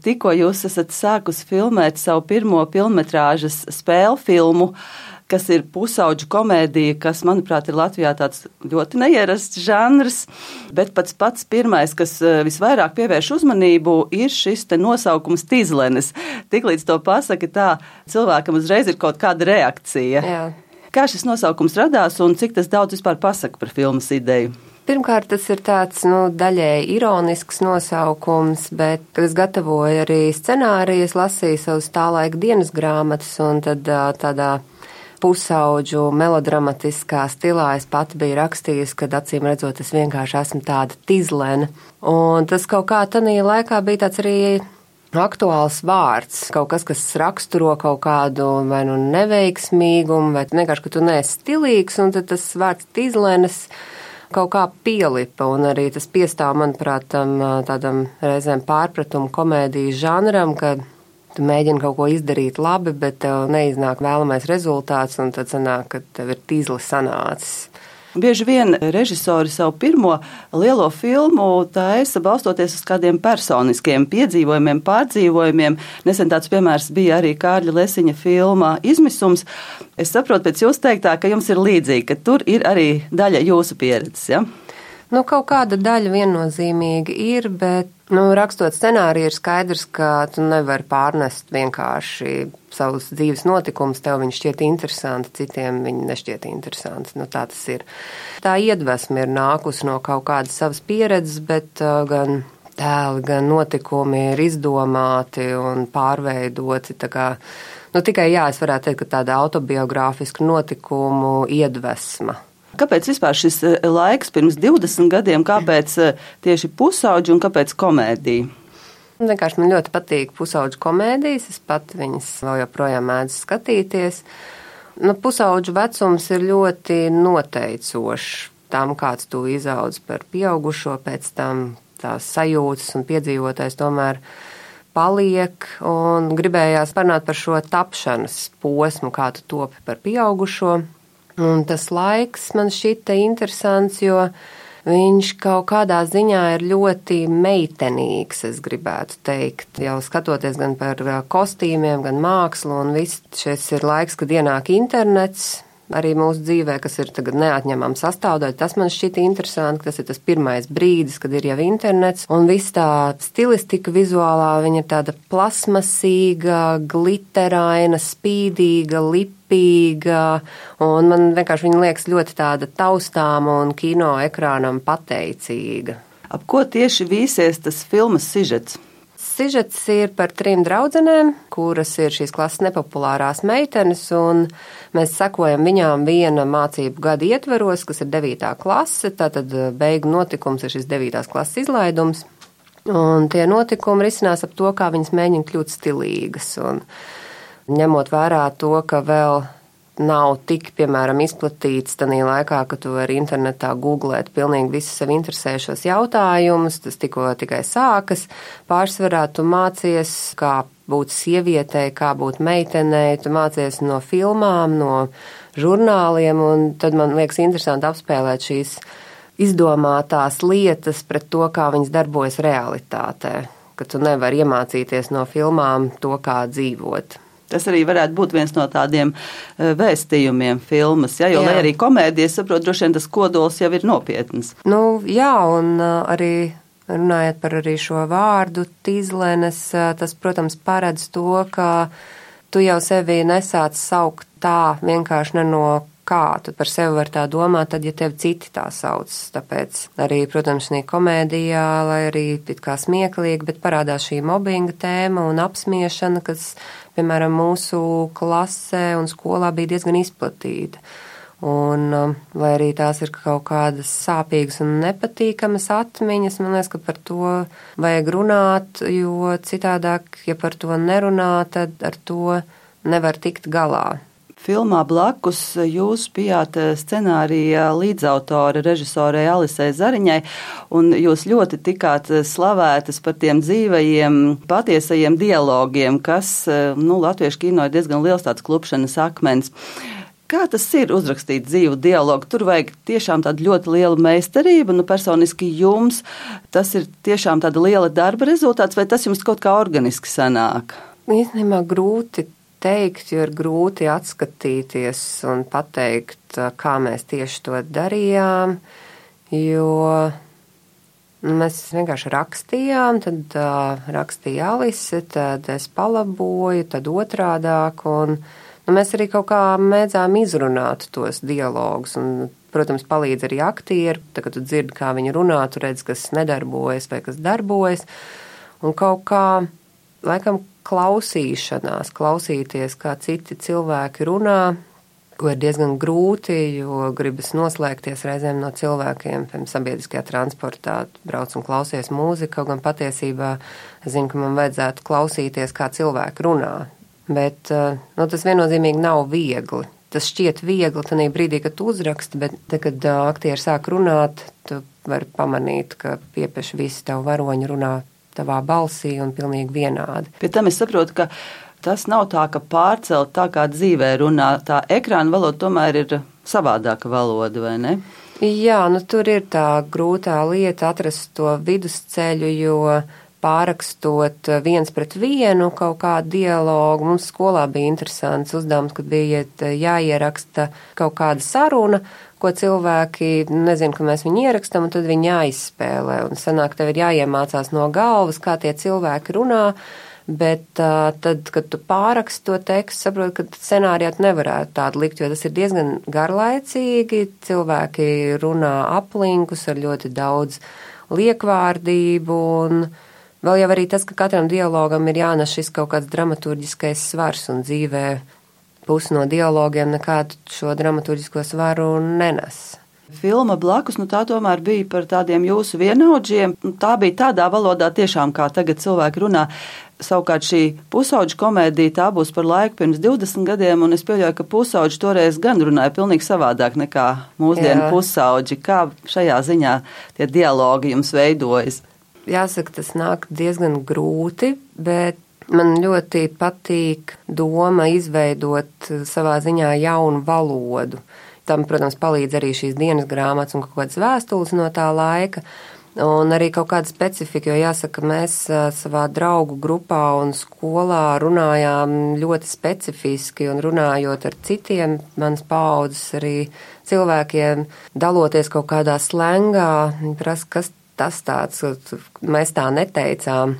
Tikko jūs esat sākus filmēt savu pirmo filmetrāžas spēļu filmu, kas ir pusauģu komēdija, kas, manuprāt, ir Latvijā tāds ļoti neierasts žanrs, bet pats pirmais, kas visvairāk pievērš uzmanību, ir šis te nosaukums Tizlenes. Tiklīdz to pasaka tā, cilvēkam uzreiz ir kaut kāda reakcija. Jā. Kā šis nosaukums radās un cik tas daudz vispār pasaka par filmas ideju? Pirmkārt, tas ir tāds, daļēji ironisks nosaukums, bet, kad es gatavoju arī scenāriju, es lasīju savus tā laika dienas grāmatas, un tad tādā pusauģu melodramatiskā stilā es pati biju rakstījusi, kad acīm redzot, es vienkārši esmu tāda tizlene. Un tas kaut kā tanī laikā bija tāds arī aktuāls vārds, kaut kas, kas raksturo kaut kādu vai neveiksmīgumu, vai vienkārši, ka tu neesi stilīgs, un tad tas vārds tizlenes kaut kā pielipa, un arī tas piestāv, manuprāt, tādam reizēm pārpratumu komēdijas žanram, kad tu mēģini kaut ko izdarīt labi, bet tev neiznāk vēlamais rezultāts, un tad sanāk, ka tev ir tīzli sanācis. Bieži vien režisori savu pirmo lielo filmu taisa balstoties uz kādiem personiskiem piedzīvojumiem, pārdzīvojumiem. Nesen tāds piemērs bija arī Kārļa Lesiņa filmā Izmisums. Es saprotu pēc jūs teiktā, ka jums ir līdzīgi, ka tur ir arī daļa jūsu pieredzes, ja? Kaut kāda daļa viennozīmīgi ir, bet, rakstot scenāriju ir skaidrs, ka tu nevari pārnest vienkārši savus dzīves notikumus, tev viņi šķiet interesanti, citiem viņi nešķiet interesanti. Tā tas ir. Tā iedvesma ir nākusi no kaut kādas savas pieredzes, bet gan tēli, gan notikumi ir izdomāti un pārveidoti. Tikai es varētu teikt, ka tāda autobiogrāfiska notikumu iedvesma. Kāpēc vispār šis laiks pirms 20 gadiem, kāpēc tieši pusauģi un kāpēc komēdija? Vienkārši man ļoti patīk pusauģu komēdijas, es pat viņas vēl joprojām mēdzu skatīties. Pusauģu vecums ir ļoti noteicošs tam, kāds tu izaudz par pieaugušo, pēc tam tās sajūtas un piedzīvotais tomēr paliek, un gribējās parunāt par šo tapšanas posmu, kā tu topi par pieaugušo. Un tas laiks man šķita interesants, jo viņš kaut kādā ziņā ir ļoti meitenīgs, es gribētu teikt. Jau skatoties gan par kostīmiem, gan mākslu, un viss šis ir laiks, kad ienāk internets arī mūsu dzīvē, kas ir tagad neatņemama sastāvdaļa. Tas man šķita interesanti, ka tas ir tas pirmais brīdis, kad ir jau internets, un viss tā stilistika vizuālā, viņa ir tāda plasmasīga, gliteraina, spīdīga, lipīga, un man vienkārši viņa liekas ļoti tāda taustāma un kino ekrānam pateicīga. Ap ko tieši vīsies tas filmas sižets? Sižets ir par 3 draudzenēm, kuras ir šīs klases nepopulārās meitenes, un mēs sekojam viņām viena mācību gada ietveros, kas ir 9. klase, tātad beigu notikums ir šis 9. klases izlaidums, un tie notikumi risinās ap to, kā viņas mēģina kļūt stilīgas, un ņemot vērā to, ka vēl nav tik, piemēram, izplatīts tanī laikā, ka tu vari internetā googlēt pilnīgi visus sev interesējušos jautājumus, tas tikai sākas. Pārsvarā tu mācies, kā būt sievietei, kā būt meitenei, tu mācies no filmām, no žurnāliem, un tad man liekas interesanti apspēlēt šīs izdomātās lietas pret to, kā viņas darbojas realitātē, ka tu nevari iemācīties no filmām to, kā dzīvot. Tas arī varētu būt viens no tādiem vēstījumiem filmas, ja? Jo, lai arī komēdija, saprot, droši vien tas kodols jau ir nopietns. Jā, un arī runājot par arī šo vārdu tizlenes, tas, protams, paredz to, ka tu jau sevi nesāc saukt tā vienkārši ne no kā tu par sevi var tā domāt, tad, ja tevi citi tā sauc. Tāpēc arī, protams, šī komēdijā, lai arī it kā smieklīgi, bet parādās šī mobbinga tēma un apsmiešana, kas, piemēram, mūsu klasē un skolā bija diezgan izplatīta. Un, lai arī tās ir kaut kādas sāpīgas un nepatīkamas atmiņas, man liekas, ka par to vajag runāt, jo citādāk, ja par to nerunā, tad ar to nevar tikt galā. Filmā blakus jūs bijāt scenārija līdzautore režisorei Alisei Zariņai, un jūs ļoti tikāt slavētas par tiem dzīvajiem, patiesajiem dialogiem, kas, latviešu kino ir diezgan liels tāds klupšanas akmens. Kā tas ir uzrakstīt dzīvu dialogu? Tur vajag tiešām tādu ļoti lielu meistarību. Personiski jums tas ir tiešām tāda liela darba rezultāts, vai tas jums kaut kā organiski sanāk? Īstenībā grūti teikt, jo ir grūti atskatīties un pateikt, kā mēs tieši to darījām, jo mēs vienkārši rakstījām, tad rakstīja Alise, tad es palaboju, tad otrādāk, un mēs arī kaut kā mēdzām izrunāt tos dialogus, un, protams, palīdz arī aktieri. Tad, kad tu dzirdi, kā viņi runā, tu redz, kas nedarbojas vai kas darbojas, un kaut kā, laikam, klausīties, kā citi cilvēki runā, ko ir diezgan grūti, jo gribas noslēgties reizēm no cilvēkiem, piemēram, sabiedriskajā transportā, brauc un klausies mūziku, kaut gan patiesībā es zinu, ka man vajadzētu klausīties, kā cilvēki runā. Bet tas viennozīmīgi nav viegli. Tas šķiet viegli tajā brīdī, kad tu uzraksti, bet te, kad aktieri sāk runāt, tu vari pamanīt, ka piepieši visi tavu varoņi runā tavā balsī un pilnīgi vienādi. Pie tam es saprotu, ka tas nav tā, ka pārcelt tā kā dzīvē runā. Tā ekrāna valoda tomēr ir savādāka valoda, vai ne? Jā, tur ir tā grūtā lieta atrast to vidusceļu, jo pārakstot 1-1 kaut kādu dialogu. Mums skolā bija interesants uzdevums, kad bija jāieraksta kaut kāda saruna, ko cilvēki, nezinu, ka mēs viņu ierakstam, un tad viņi jāizspēlē. Un sanāk, tev ir jāiemācās no galvas, kā tie cilvēki runā, bet tad, kad tu pāraksti to tekstu, saproti, ka scenārijā tu nevarētu tādu likt, jo tas ir diezgan garlaicīgi. Cilvēki runā aplinkus ar ļoti daudz liekvārdību, un vēl jau arī tas, ka katram dialogam ir jānes šis kaut kāds dramaturģiskais svars, un dzīvē pusi no dialogiem nekādu šo dramaturģisko svaru nenes. Filma Blakus, tā tomēr bija par tādiem jūsu vienaudžiem. Tā bija tādā valodā tiešām, kā tagad cilvēki runā. Savukārt šī pusauģu komēdija, tā būs par laiku pirms 20 gadiem, un es pieļauju, ka pusauģi toreiz gan runāja pilnīgi savādāk nekā mūsdienu pusauģi. Kā šajā ziņā tie dialogi jums veidojas? Jāsaka, tas nāk diezgan grūti, bet man ļoti patīk doma izveidot savā ziņā jaunu valodu. Tam, protams, palīdz arī šīs dienas grāmatas un kaut kādas vēstules no tā laika, un arī kaut kāda specifika, jo jāsaka, mēs savā draugu grupā un skolā runājām ļoti specifiski, un runājot ar citiem manas paaudzes arī cilvēkiem, daloties kaut kādā slengā, prasa, kas tas tāds, mēs tā neteicām.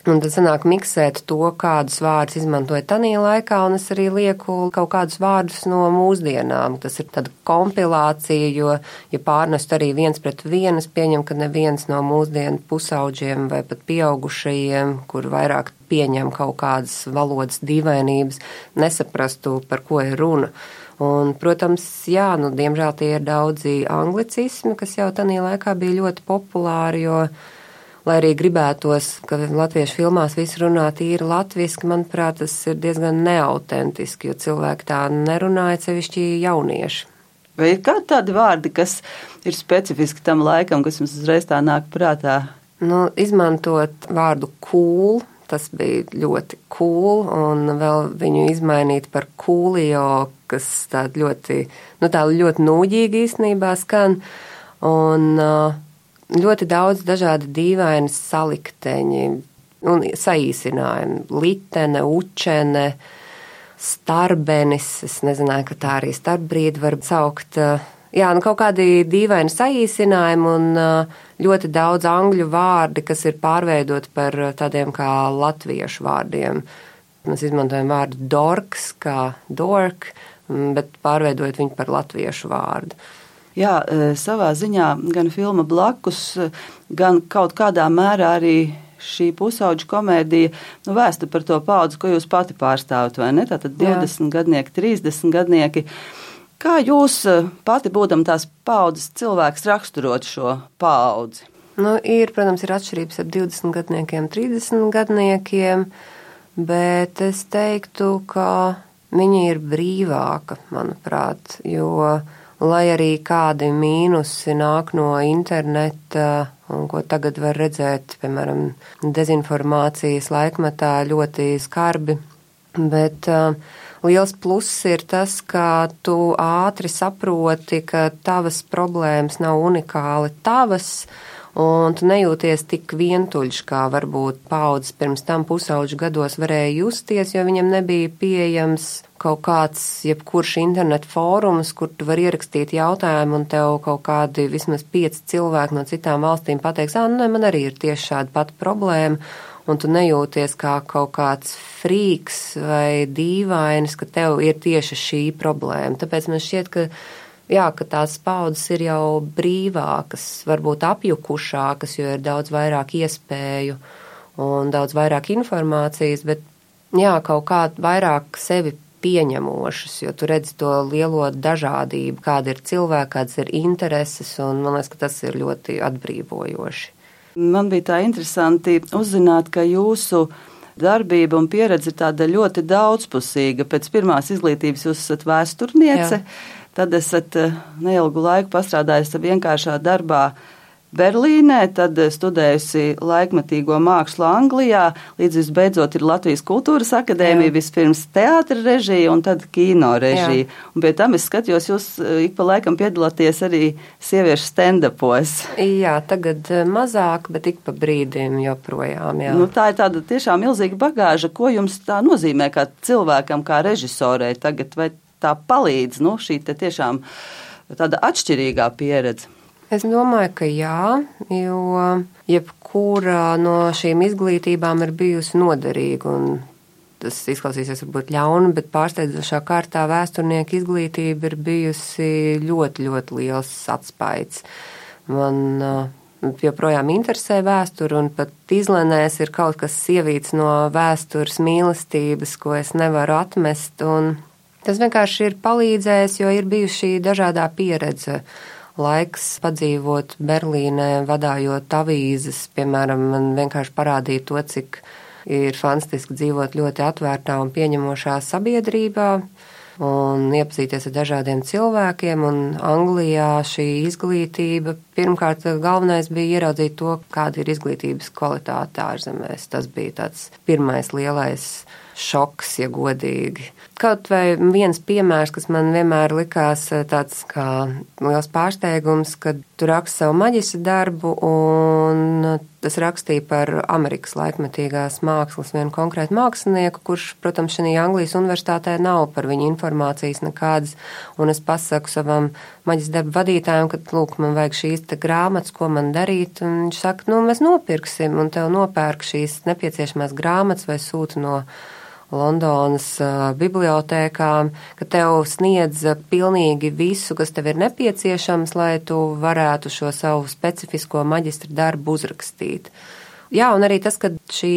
Un tad sanāk miksēt to, kādus vārdus izmantoja tanī laikā, un es arī lieku kaut kādus vārdus no mūsdienām. Tas ir tāda kompilācija, jo, ja pārnest arī 1-1, es pieņemu, ka neviens no mūsdienu pusauģiem vai pat pieaugušajiem, kur vairāk pieņem kaut kādas valodas dīvainības, nesaprastu, par ko ir runa. Un, protams, jā, diemžēl tie ir daudzi anglicismi, kas jau tanī laikā bija ļoti populāri, jo, lai arī gribētos, ka latviešu filmās visi runā tīri latviski, manuprāt, tas ir diezgan neautentiski, jo cilvēki tā nerunāja, sevišķi jaunieši. Vai ir kādi tādi vārdi, kas ir specifiski tam laikam, kas jums uzreiz tā nāk prātā? Izmantot vārdu cool, tas bija ļoti cool, un vēl viņu izmainīt par coolio, kas tā ļoti nūģīgi īstenībā skan, un ļoti daudz dažādi dīvaini salikteņi un saīsinājumi. Litene, učene, starbenis, es nezināju, ka tā arī starpbrīdi var saukt. Jā, kaut kādi dīvaini saīsinājumi un ļoti daudz angļu vārdi, kas ir pārveidoti par tādiem kā latviešu vārdiem. Mēs izmantojam vārdu dorks kā dork, bet pārveidojot viņu par latviešu vārdu. Jā, savā ziņā gan filma Blakus, gan kaut kādā mērā arī šī pusauģu komēdija vēsta par to paudzi, ko jūs pati pārstāvat, vai ne? Tātad 20 gadnieki, 30 gadnieki. Kā jūs pati būdam tās paudzes cilvēks raksturot šo paudzi? Protams, ir atšķirības ar 20 gadniekiem, 30 gadniekiem, bet es teiktu, ka viņa ir brīvāka, manuprāt, jo lai arī kādi mīnusi nāk no interneta, un ko tagad var redzēt, piemēram, dezinformācijas laikmetā ļoti skarbi, bet liels pluss ir tas, ka tu ātri saproti, ka tavas problēmas nav unikāli tavas, un tu nejūties tik vientuļš, kā varbūt paudzes pirms tam pusauģu gados varēja justies, jo viņam nebija pieejams kaut kāds jebkurš internet fórums, kur tu vari ierakstīt jautājumu un tev kaut kādi vismaz 5 cilvēki no citām valstīm pateiks, man arī ir tieši šāda pati problēma, un tu nejūties kā kaut kāds frīks vai dīvainis, ka tev ir tieši šī problēma. Tāpēc man šķiet, ka tās paudzes ir jau brīvākas, varbūt apjukušākas, jo ir daudz vairāk iespēju un daudz vairāk informācijas, bet kaut kā vairāk sevi pieņemošas, jo tu redzi to lielo dažādību, kāda ir cilvēka, kādas ir intereses, un man liekas, ka tas ir ļoti atbrīvojoši. Man bija tā interesanti uzzināt, ka jūsu darbība un pieredze ir tāda ļoti daudzpusīga. Pēc pirmās izglītības jūs esat vēsturniece. Jā. Tad esat neilgu laiku pastrādājusi vienkāršā darbā Berlīnē, tad studējusi laikmetīgo mākslu Anglijā, līdz visbeidzot ir Latvijas Kultūras akadēmija, vispirms teātra režija un tad kino režija. Un pie tam es skatījos, jūs ik pa laikam piedalāties arī sieviešu stand-upos. Jā, tagad mazāk, bet ik pa brīdim joprojām. Jā. Tā ir tāda tiešām milzīga bagāža. Ko jums tā nozīmē kā cilvēkam, kā režisorei tagad, vai tā palīdz, šī te tiešām tāda atšķirīgā pieredze? Es domāju, ka jā, jo jebkura no šīm izglītībām ir bijusi noderīga, un tas izklausīsies varbūt ļauni, bet pārsteidzošā kārtā vēsturnieka izglītība ir bijusi ļoti, ļoti liels atspaids. Man joprojām interesē vēsturi, un pat izlenēs ir kaut kas sievīts no vēstures mīlestības, ko es nevaru atmest, un tas vienkārši ir palīdzējis, jo ir bijusi šī dažādā pieredze. Laiks padzīvot Berlīnē, vadājot avīzes, piemēram, man vienkārši parādīja to, cik ir fantastiski dzīvot ļoti atvērtā un pieņemošā sabiedrībā un iepazīties ar dažādiem cilvēkiem. Un Anglijā šī izglītība, pirmkārt, galvenais bija ieraudzīt to, kāda ir izglītības kvalitāte ārzemēs. Tas bija tāds pirmais lielais šoks, ja godīgi. Kaut vai viens piemērs, kas man vienmēr likās tāds kā liels pārsteigums, kad tu raksti savu maģistra darbu, un tas rakstīja par Amerikas laikmetīgās mākslas vienu konkrētu mākslinieku, kurš, protams, šajā Anglijas universitātē nav par viņu informācijas nekādas, un es pasaku savam maģistra darbu vadītājam, ka, lūk, man vajag šīs te grāmatas, ko man darīt, un viņš saka, mēs nopirksim, un tev nopērk šīs nepieciešamās grāmatas vai sūta no Londonas bibliotēkām, ka tev sniedz pilnīgi visu, kas tev ir nepieciešams, lai tu varētu šo savu specifisko maģistra darbu uzrakstīt. Jā, un arī tas, ka šī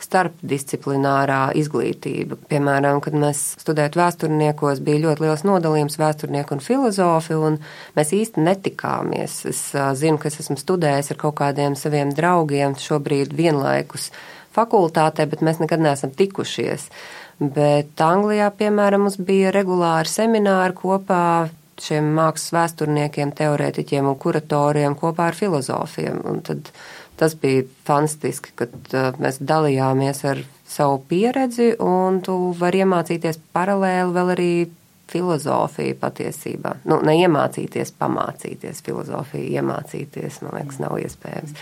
starpdisciplinārā izglītība, piemēram, kad mēs studējot vēsturniekos, bija ļoti liels nodalījums vēsturnieku un filozofi, un mēs īsti netikāmies. Es zinu, ka es esmu studējis ar kaut kādiem saviem draugiem šobrīd vienlaikus fakultātē, bet mēs nekad neesam tikušies. Bet Anglijā, piemēram, mums bija regulāri semināri kopā šiem mākslas vēsturniekiem, teorētiķiem un kuratoriem kopā ar filozofiem. Un tad tas bija fantastiski, kad mēs dalījāmies ar savu pieredzi, un tu vari iemācīties paralēli vēl arī filozofiju patiesībā. Neiemācīties, pamācīties filozofiju, iemācīties, man liekas, nav iespējams.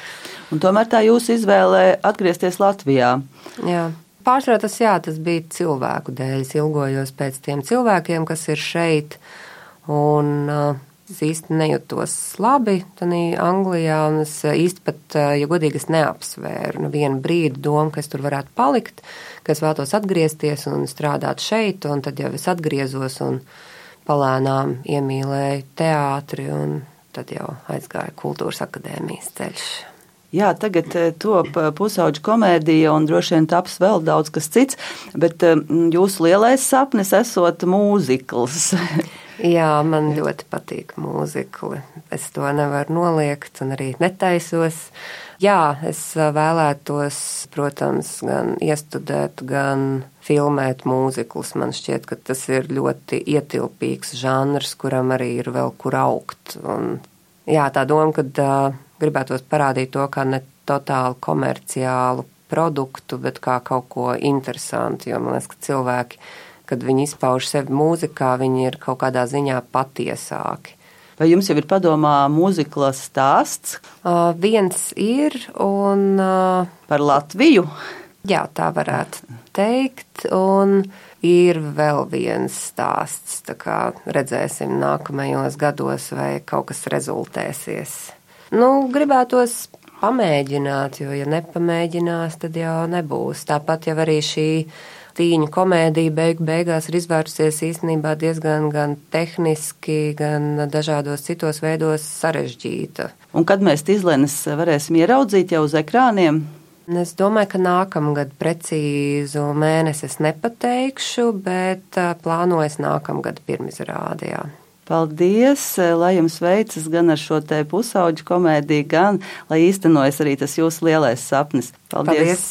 Un tomēr tā jūsu izvēle atgriezties Latvijā. Jā. Pārsvarā tas bija cilvēku dēļ. Es ilgojos pēc tiem cilvēkiem, kas ir šeit, un es īsti nejūtos labi Anglijā, un es īsti pat, ja godīgi, es neapsvēru nevienu brīdi domu, ka es tur varētu palikt, ka es vēlos atgriezties un strādāt šeit, un tad jau es atgriezos un palēnām iemīlēju teātri, un tad jau aizgāju Kultūras akadēmijas ceļš. Jā, tagad top pusauģu komēdija un droši vien taps vēl daudz kas cits, bet jūsu lielais sapnis esot mūzikls. Jā, man ļoti patīk mūzikli. Es to nevaru noliegt un arī netaisos. Jā, es vēlētos, protams, gan iestudēt, gan filmēt mūziklus. Man šķiet, ka tas ir ļoti ietilpīgs žanrs, kuram arī ir vēl kur augt. Un, jā, tā doma, kad gribētos parādīt to kā ne totāli komerciālu produktu, bet kā kaut ko interesantu, jo man liekas, ka cilvēki kad viņi izpauž sevi mūzikā, viņi ir kaut kādā ziņā patiesāki. Vai jums jau ir padomā mūziklas stāsts? Viens ir un... Par Latviju? Jā, tā varētu teikt, un ir vēl viens stāsts, tā kā redzēsim nākamajos gados, vai kaut kas rezultēsies. Gribētos pamēģināt, jo ja nepamēģinās, tad jau nebūs. Tāpat jau arī šī tīņu komēdija beigās ir izvērsusies īstenībā diezgan gan tehniski, gan dažādos citos veidos sarežģīta. Un kad mēs Tizlenes varēsim ieraudzīt jau uz ekrāniem? Es domāju, ka nākamgad precīzu mēnesi es nepateikšu, bet plānojas nākamgad pirmizrāde, jā. Paldies, lai jums veicas gan ar šo te pusauģu komēdiju, gan lai īstenojas arī tas jūsu lielais sapnis. Paldies!